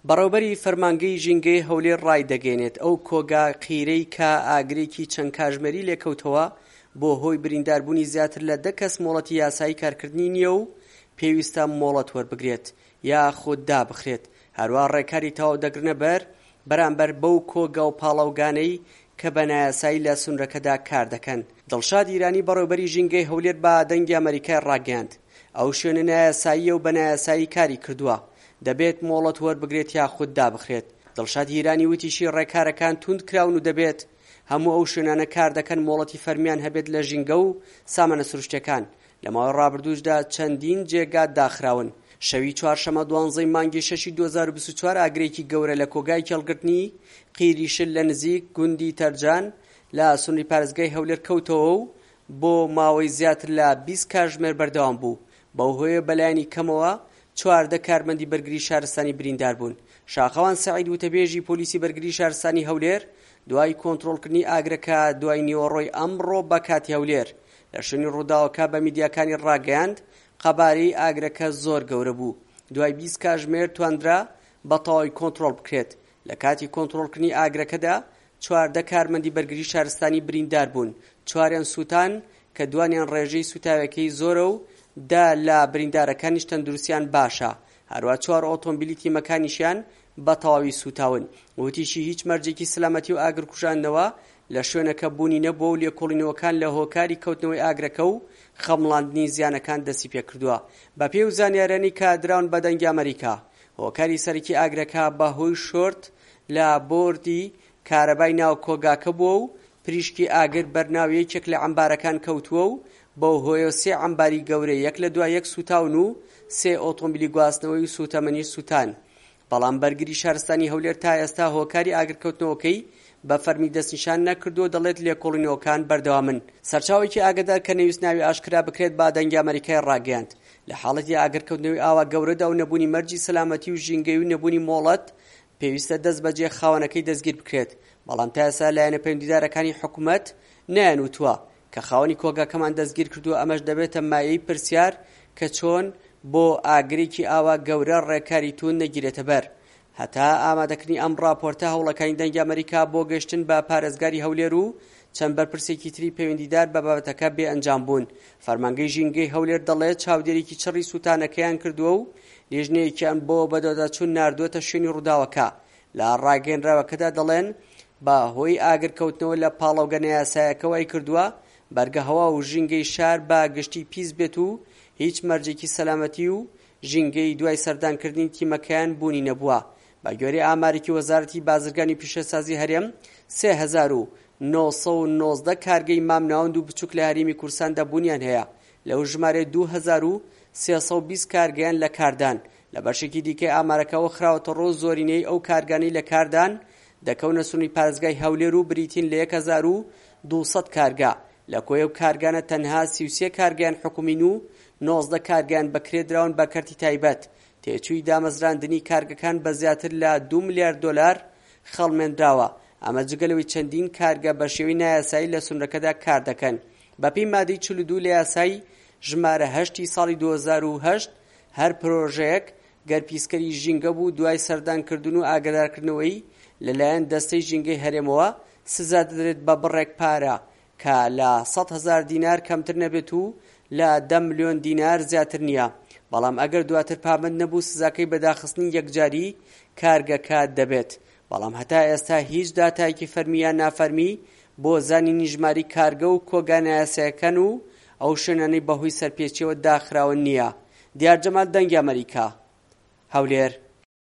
بەڕێوبەری فەرمانگەی ژینگەی هەولێر ڕایدەگەیەنێت، ئەو کۆگا قیرەی کە ئاگرێکی چەند کاژمێری لێکەوتەوە بۆ هۆی برینداربوونی زیاتر لە دە کەس مۆڵەتی یاسایی کارکردنی نییە و پێویستە مۆڵەت وەربگرێت یاخود دابخرێت، هەروا ڕێکاری تەواو دەگرنە بەر بەرامبەر بەو کۆگا و پاڵاوگانەی کە بە نایاسایی لە سنورەکەدا کار دەکەن. دڵشاد ئیرانی بەڕێوبەری ژینگەی هەولێر بە دەنگی ئەمەریکای ڕاگەیاند، ئەو شوێنە نایاساییە و بە نایاسایی کاری کردووە، دەبێت مۆڵەت وەربگرێت یاخود دابخرێت. دڵشاد هیرانی وتیشی ڕێکارەکان توند کراون و دەبێت هەموو ئەو شوێنانە کار دەکەن مۆڵەتی فەرمیان هەبێت لە ژینگە و سامانە سروشتیەکان، لە ماوەی ڕابردووشدا چەندین جێگا داخراون. شەوی چوارشەمە دوانزەی مانگی شەشی 2024 ئاگرێکی گەورە لە کۆگای کێڵگرتنی قیری شل لە نزیک گوندی تەرجان لە سنووری پارێزگای هەولێر کەوتەوە و بۆ ماوەی زیاتر لە 20 کاژمێر بەردەوام بوو، بەو هۆیە بەلایەنی کەمەوە 14 کارمەندی بەرگری شارستانی بریندار بوون. شاخەوان سەعید وتەبێژی پۆلیسی بەرگری شارستانی هەولێر دوای کۆنترۆڵکردنی ئاگرەکە دوای نیوەڕۆی ئەمڕۆ بە کاتی هەولێر لە شوێنی ڕووداوەکە بە میدیاکانی ڕاگەیاند، قەبارەی ئاگرەکە زۆر گەورە بوو، دوای 20 کاژمێر توانرا بە تەواوی کۆنترۆڵ بکرێت. لە کاتی کۆنترۆڵکردنی ئاگرەکەدا 14 کارمەندی بەرگری شارستانی بریندار بوون، چواریان سووتان کە دوانیان ڕێژەی سووتاوێکەی زۆرە و دە لە بریندارەکانیش تەندروستیان باشە، هەروا چوار ئۆتۆمبیلی تیمەکانیشیان بە تەواوی سووتاون. وتیشی هیچ مەرجێکی سەلامەتی و ئاگرکوژاندنەوە لە شوێنەکە بوونی نەبووە و لێکۆڵینەوەکان لە هۆکاری کەوتنەوەی ئاگرەکە و خەمڵاندنی زیانەکان دەستیپێکردووە. بەپێی ئەو زانیاریانەی کە دراون بە دەنگی ئەمەریکا، هۆکاری سەرەکی ئاگرەکە بەهۆی شۆرت لە بۆردی کارەبای ناو کۆگاکە بووە و پریشکی ئاگر بەر ناو یەکێک لە عەمبارەکان کەوتووە و بەو هۆیەوە سێ عەمباری گەورە یەک لە دوای یەک سووتاون و سێ ئۆتۆمبیلی گواستنەوەی و سووتەمەنیش سووتان. بەڵام بەرگری شارستانی هەولێر تا ئێستا هۆکاری ئاگرکەوتنەوەکەی بە فەرمی دەستنیشان نەکردووە و دەڵێت لێکۆڵینەوەکان بەردەوامن. سەرچاوەیەکی ئاگادار کە نەیوست ناوی ئاشکرا بکرێت بە دەنگی ئەمەریکای ڕاگەیاند، لە حاڵەتی ئاگرکەوتنەوەی ئاوا گەورەدا و نەبوونی مەرجی سەلامەتی و ژینگەیی و نەبوونی مۆڵەت پێویستە دەستبەجێ خاوەنەکەی دەستگیر بکرێت، بەڵام تا ئێستا لایەنە پەیوەندیدارەکانی حکومەت نەیانوتووە کە خاوەنی کۆگاکەمان دەستگیرکردووە، ئەمەش دەبێتە مایەی پرسیار کە چۆن بۆ ئاگرێکی ئاوا گەورە ڕێکاری توند نەگیرێتە بەر. هەتا ئامادەکردنی ئەم ڕاپۆرتە هەوڵەکانی دەنگی ئەمەریکا بۆ گەشتن بە پارێزگاری هەولێر و چەند بەرپرسێکی تری پەیوەندیدار بە بابەتەکە بێ ئەنجام بوون. فەرمانگەی ژینگەی هەولێر دەڵێت چاودێریی چڕی سووتانەکەیان کردووە و لیژنەیەکیان بۆ بەدواداچوون ناردووەتە شوێنی ڕووداوەکە. لە ڕاگەیەنراوەکەدا دەڵێن، بە هۆی ئاگرکەوتنەوە لە پاڵاوگە نایاسایەکە وایکردووە بەرگە هەوا و ژینگەی شار بە گشتی پیس بێت و هیچ مەرجێکی سەلامەتی و ژینگەیی دوای سەردانکردنی تیمەکەیان بوونی نەبووە. بە گوێرەی ئامارێکی وەزارەتی بازرگانی و پیشەسازی هەرێم، 3919 کارگەی مامناوەند و بچووک لە هەرێمی کوردستاندا بوونیان هەیە، لەو ژمارەیە 2320 کارگەیان لە کاردان. لە بەشێکی دیکەی ئامارەکەوە خراوەتەڕوو، زۆرینەی ئەو کارگانەی لە کاردان دەکەونە سنووری پارێزگای هەولێر و بریتین لە 1200 کارگە، لە کۆی ئەو کارگانە تەنها 33 کارگەیان حکومین و 19 کارگەیان بەکرێ دراون بە کەرتی تایبەت، تێچووی دامەزراندنی کارگەکان بە زیاتر لە 2 ملیار دۆلار خەڵمێنراوە، ئەمە جگە لەوەی چەندین کارگە بە شێوەی نایاسایی لە سنوورەکەدا کار دەکەن. بەپێی مادەی 42 لە یاسای ژمارە هەشتی ساڵی 2008 هەر پرۆژەیەک گەر پیسکەری ژینگە بوو دوای سەردانکردن و ئاگادارکردنەوەی لەلایەن دەستەی ژینگەی هەرێمەوە سزا دەدرێت بە بڕێک پارە کە لە 100 هەزار دینار کەمتر نەبێت و لە 10 ملیۆن دینار زیاتر نییە، بەڵام ئەگەر دواتر پابەند نەبوو سزاکەی بە داخستنی یەکجاری کارگەکە دەبێت. بەڵام هەتا ئێستا هیچ داتایەکی فەرمی یان نافەرمی بۆ زانینی ژمارەی کارگە و کۆگا نایاسایەکان و ئەو شوێنانەی بەهۆی سەرپێچیەوە داخراون نییە. دیار جەمال دەنگی ئەمەریکا، هەولێر.